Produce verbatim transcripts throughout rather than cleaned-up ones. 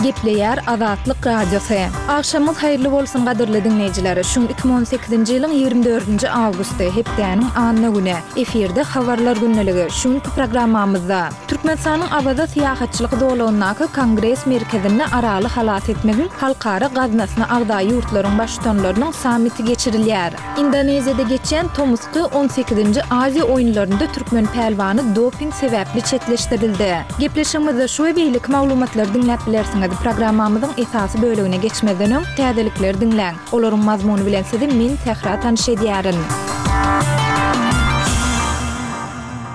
Gepleýär Azatlyk Radiosy. Agşamyňyz haýyrly bolsun gadyrly diňleýjiler. Şu iki müň on sekizinji ýylyň ýigrimi dördünji awgusty, hepdäniň anna güni. Efirde Habarlar gündeligi. Şu günki programmamyzda Türkmenistanyň Awaza syýahatçylyk zolagyndaky Kongres merkezinde Araly halas etmegiň halkara gaznasyna agza ýurtlaryň baştutanlarynyň sammiti geçirilýär. Indoneziýada geçýän tomusky on sekizinji Aziýa oýunlarynda türkmen pälwany doping sebäpli çetleşdirildi. Gepleşigimizde şu we beýleki maglumatlary diňläp bilersiňiz. Programmamyzyň esasy bölegine geçmezden öň, täzelikleri diňläň. Olaryň mazmuny bilen sizi men, Sähra tanyş edýärin.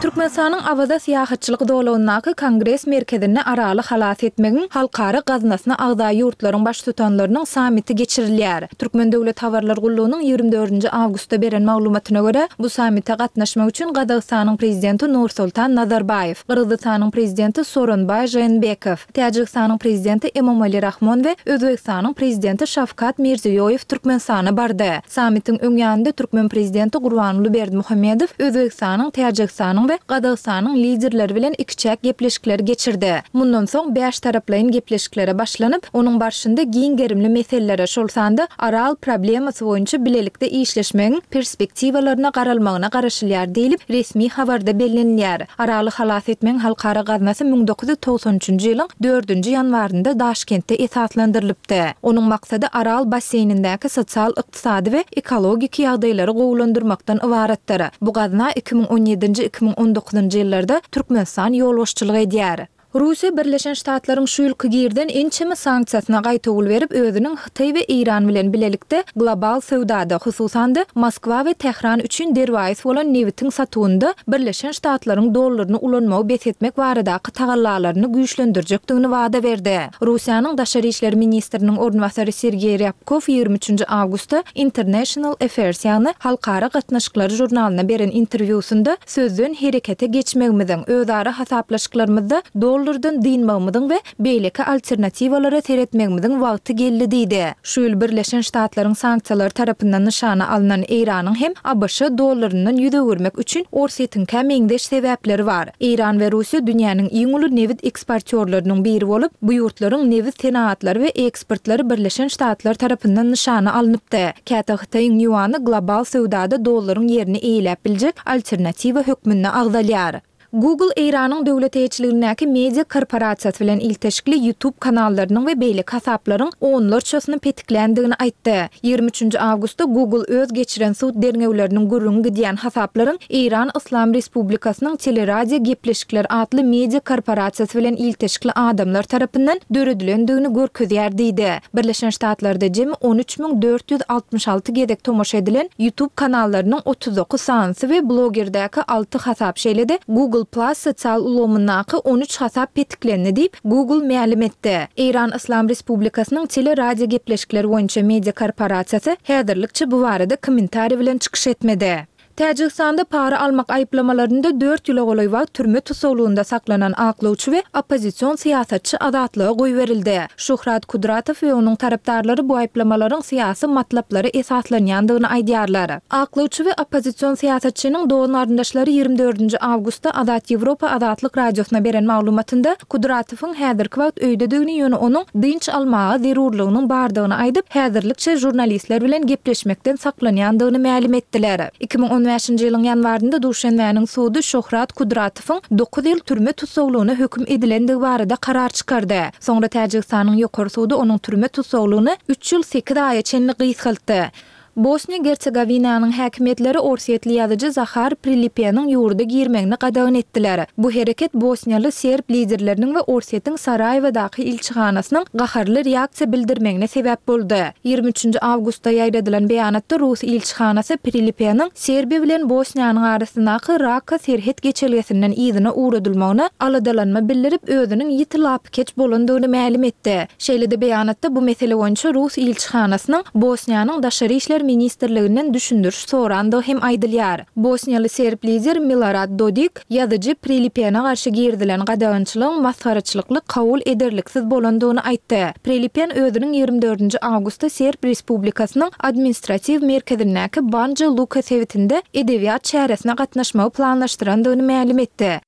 Türkmenistanyň Awaza syýahatçylyk zolagyndaky Kongres merkezinde Araly halas etmegiň halkara gaznasyna agza ýurtlaryň baştutanlarynyň sammiti geçirilýär. Türkmen döwlet habarlar gullugynyň ýigrimi dördünji awgustda beren maglumatyna görä, bu sammite gatnaşmak üçin Gazagystanyň Prezidenti Nursultan Nazarbaýew, Gyrgyzystanyň Prezidenti Sooronbaý Žeenbekow, Täjigistanyň Prezidenti Emomali Rahmon we Özbegistanyň Prezidenti Şawkat Mirziýoýew Türkmenistana bardy. Sammitiň öň ýanynda türkmen Prezidenti Gurbanguly Berdimuhamedow Özbegistanyň, Täjigistanyň we Gazagystanyň liderleri bilen ikiçäk gepleşikleri geçirdi. Mundan soň bäştaraplaýyn gepleşiklere başlanyp, onuň barşynda giň gerimli meselelere, şol sanda Aral problemasy boýunça bilelikde işleşmegiň perspektiwalaryna garalmagyna garaşylýar diýlip, resmi habarda bellenilýär. Araly halas etmegiň halkara gaznasy müň dokuz ýüz togsan üçünji ýylyň dördünji ýanwarynda Daşkentde esaslandyrylypdy. Onuň maksady Aral basseýnindäki sosial-ykdysady we ekologik ýagdaýlary gowulandyrmakdan ybaratdyr. Bu gazna iki müň on ýedinji, iki müň on dokuzynjy ýyllarda Türkmenistan ýolbaşçylyk edýär. Russiýa Birleşen Ştatlaryň şu ýylky girden ençeme sanksiýasyna gaýtawul berip, özüniň Hytaý we Eýran bilen bilelikde global söwdada, hususan-da, Moskwa we Tähran üçin derwaýys bolan nebitiň satuwynda Birleşen Ştatlaryň dollaryny ulanmagy bes etmek baradaky tagallalaryny güýçlendirjekdigini wada berdi. Russiýanyň daşary işler ministriniň orunbasary Sergeý Rýabkow ýigrimi üçünji awgustda International Affairs, ýagny Halkara gatnaşyklary žurnalyna beren interwýusynda sözden herekete geçmegimiziň, özara hasaplaşyklarymyzda dollardan dynmagymyzyň we beýleki alternatiwalara seretmegimiziň wagty geldi diýdi. Şu ýyl Birleşen Ştatlaryň sanksiýalary tarapyndan nyşana alnan Eýranyň hem A B Ş dollaryndan ýüz öwürmek üçin Orsýetiňkä meňzeş sebäpleri bar. Eýran we Russiýa dünýäniň iň uly nebit eksportýorlarynyň biri bolup, bu ýurtlaryň nebit senagatlary we eksportlary Birleşen Ştatlar tarapyndan nyşana alnypdy. Käte Hytaýyň ýuany global söwdada dollaryň ýerini eýeläp biljek alternatiwa hökmünde agzalýar. Google Eýranyň döwlet eýeçiligindäki media korporasiýasy bilen ilteşikli YouTube kanallarynyň we beýleki hasaplaryň onlarçasyny petikländigini aýtdy. Ýigrimi üçünji awgustda Google öz geçiren sud derňewleriniň gürrüňi gidýän hasaplaryň Eýran Yslam Respublikasynyň Teleradio gepleşikler atly media korporasiýasy bilen ilteşikli adamlar tarapyndan döredilendigini görkezýär diýdi. Birleşen Ştatlarda jemi on üç müň dört ýüz altmyş alty gezek tomaşa edilen YouTube kanallarynyň otuz dokuz sanysy we blogerdäki alty hasap, şeýle-de Google Plus sosial ulgamyndaky on üç hasap petiklendi diýip, Google mälim etdi. Eýran Yslam Respublikasynyň teleradio gepleşikler boýunça media korporasiýasy häzirlikçe bu barada kommentariý bilen çykyş etmedi. Täjigistanda para almak aýyplamalarynda dört ýyla golaý wagt türme tussaglygynda saklanan aklawçy we oppozision syýasatçy azatlyga goýberildi. Şuhrat Kudratow we onuň tarapdarlary bu aýyplamalaryň syýasy matlaplara esaslanýandygyny aýdýarlar. Aklawçy we oppozision syýasatçynyň dogan-garyndaşlary ýigrimi dördünji awgustda Azat Ýewropa Azatlyk Radiosyna beren maglumatynda Kudratowyň häzirki wagt öýdedigini, ýöne onuň dynç almaga zerurlygynyň bardygyny aýdyp, häzirlikçe žurnalistler bilen gepleşmekden saklanýandygyny mälim etdiler. Iki müň on bäşinji ýylyň ýanwarynda Duşenbäniň sudy Şohrat Kudratowyň dokuz ýyl türme tussaglygyna höküm edilendigi barada karar çykardy. Soňra Täjigistanyň ýokary sudy onuň türme tussaglygyny üç ýyl sekiz aýa çenli gysgaltdy. Bosniýa-Gersegowinanyň häkimiýetleri orsýetli ýazyjy Zahar Prilipeniň ýurda girmegini gadagan etdiler. Bu hereket bosniýaly serb liderleriniň we Orsýetiň Saraýewadaky ilçihanasynyň gaharly reaksiýa bildirmegine sebäp boldy. Ýigrimi üçünji awgustda ýaýradylan beýanatda rus ilçihanasy Prilipeniň Serbiýa bilen Bosniýanyň arasyndaky Raka serhet geçelgesinden yzyna ugradylmagyna aladalanma bildirip, özüniň ýiti lapykeç bolandygyny mälim etdi. Şeýle-de beýanatda bu mesele boýunça rus ilçihanasynyň Bosniýanyň Daşary işler ministrliginden düşündiriş sorandygy hem aýdylýar. Bosniýaly serb lider Milorad Dodik ýazyjy Prilipene garşy girizilen gadagançylygyň masgaraçylykly kabul ederliksiz bolandygyny aýtdy. Prilipen özüniň ýigrimi dördünji awgustda Serb Respublikasynyň administratiw merkezindäki Banja Luka sebitinde edebiýat çäresine gatnaşmagy planlaşdyrandygyny mälim etdi.